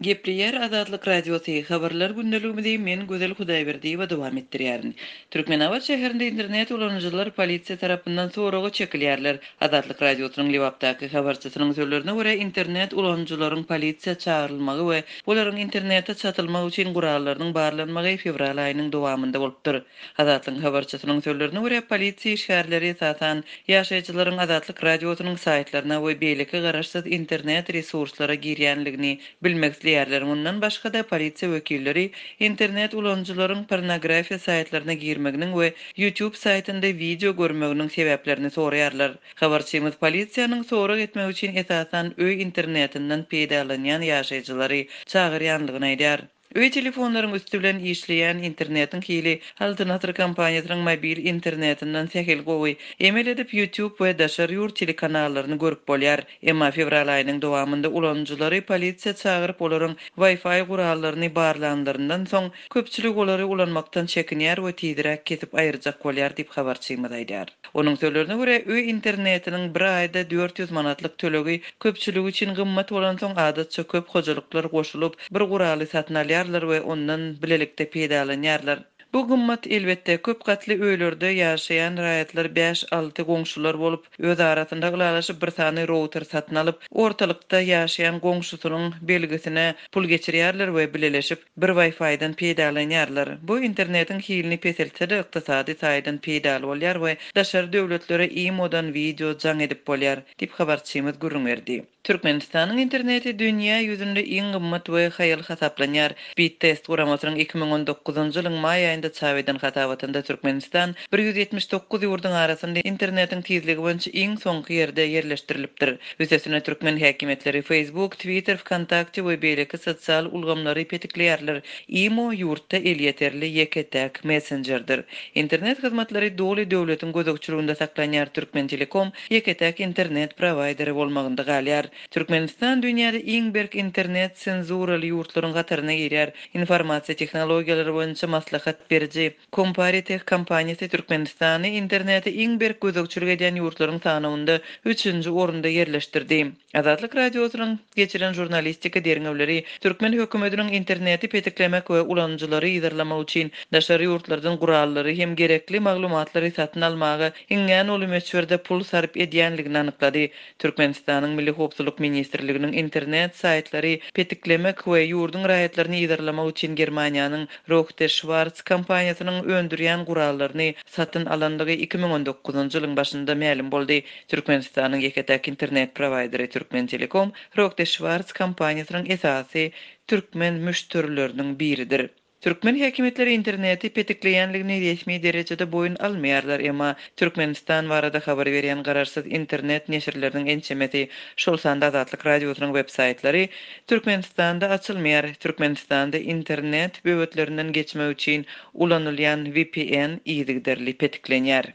Gepleýär Azatlyk Radiosy, Habarlar gündeligimizi men Gözel Hudaýberdiýewa dowam etdirýärin. Türkmenabat şäherinde internet ulanyjylar polisiýa tarapyndan soraga çekilýärler. Azatlyk Radiosynyň Lebapdaky habarçysynyň sözlerine görä, internet ulanyjylaryň polisiýa çagyrylmagy we olaryň internete çatylmak üçin gurallarynyň barlanmagy fewral aýynyň dowamynda bolupdyr. Azatlygyň habarçysynyň sözlerine görä, polisiýa işgärleri esasan ýaşaýjylaryň Azatlyk Radiosynyň saýtlaryna we beýleki garaşsyz internet resurslara girýänligini bilmek isleýärler. Mundan başga-da, polisiýa wekilleri internet ulanyjylaryň pornografiýa saýtlaryna girmeginiň we YouTube saýtynda wideo görmeginiň sebäplerini soraýarlar. Habarçymyz polisiýanyň sorag etmek üçin esasan öý internetinden peýdalanýan ýaşaýjylary çagyrýanlygyny aýdýar. Öý telefonlaryň üsti bilen işleýän internetiň hili Altyn Asyr kompaniýasynyň mobil internetinden sähel gowy. Emel edip YouTube we daşary ýurt telekanallaryny görüp bolýar. Emma fewral aýynyň dowamynda ulanyjylary polisiýa çagyryp olaryň Wi-Fi gurallaryny barlanlaryndan soň, köpçülik olary ulanmakdan çekinýär we tizräk kesip aýyrjak bolýar diýip habarçymyz aýdýar. Onuň sözlerine görä, öý internetiniň bir aýda 400 manatlyk tölegi köpçülik üçin gymmat bolansoň, adatça köp hojalyklar goşulyp, bir guraly satyn alýarlar we ondan bilelikde peýdalanýarlar. Bu gymmat, elbetde, köp gatly öýlerde ýaşaýan raýatlar bäş-alty goňşular bolup, öz arasynda ylalaşyp bir sany router satyn alyp, ortalykda ýaşaýan goňşusynyň belgisine pul geçirýärler we bileleşip, bir Wi-Fi-den peýdalanýarlar. Bu internetiň hilini peseltse-de, ykdysady taýdan peýdaly bolýar we daşary döwletlere imo-dan wideo jaň edip bolýar, diýip habarçymyz gürrüň berdi. Türkmenistanyň interneti dünýä ýüzünde iň gymmat we haýal hasaplanýar. Speedtest guramasynyň 2019-njy ýylyň maý aýynda çap eden hasabatynda Türkmenistan 179 ýurduň arasynda internetiň tizligi boýunça iň soňky ýerde ýerleşdirilipdir. Üstesine türkmen häkimiýetleri Facebook, Twitter, Wkontakte we beýleki sosial ulgamlary petikleýärler. Imo ýurtda elýeterli ýeke-täk messenjerdir. Internet hyzmatlary doly döwletiň gözegçiliginde saklanýar, Türkmentelekom ýeke-täk internet prowaýderi bolmagynda galýar. Türkmenistan dünýäde iň berk internet senzuraly ýurtlaryň hataryna girýär. Informasiýa tehnologiýalary boýunça maslahat beriji Comparitech kompaniýasy Türkmenistany internete iň berk gözegçilik edýän ýurtlaryň sanawynda üçünji orunda ýerleşdirdi. Azatlyk Radiosynyň geçiren žurnalistika derňewleri türkmen hökümetiniň interneti petiklemek we ulanyjylary yzarlamak üçin daşary ýurtlardan gurallary hem gerekli maglumatlary satyn almaga iňňän uly möçberde pul sarp edýänligini anyklady. Türkmenistanyň Milli howpsuzlyk ministrliginiň internet saýtlary petiklemek we ýurduň raýatlaryny yzarlamak üçin Germaniýanyň Rohde Schwarz kompaniýasynyň öndürýän gurallaryny satyn alandygy 2019-njy ýylyň başynda mälim boldy. Türkmenistanyň ýeke-täk internet prowaýderi Türkmentelekom Rohde Schwarz kompaniýasynyň esasy türkmen müşderileriniň biridir. Türkmen häkimiýetleri interneti petikleýänligini resmi derejede boýun almaýarlar, emma Türkmenistan barada habar berýän garaşsyz internet neşirleriniň ençemesi, şol sanda Azatlyk Radiosynyň websaýtlary Türkmenistanda açylmaýar. Türkmenistanda internet böwetlerinden geçmek üçin ulanylýan vpn yzygiderli petiklenýär.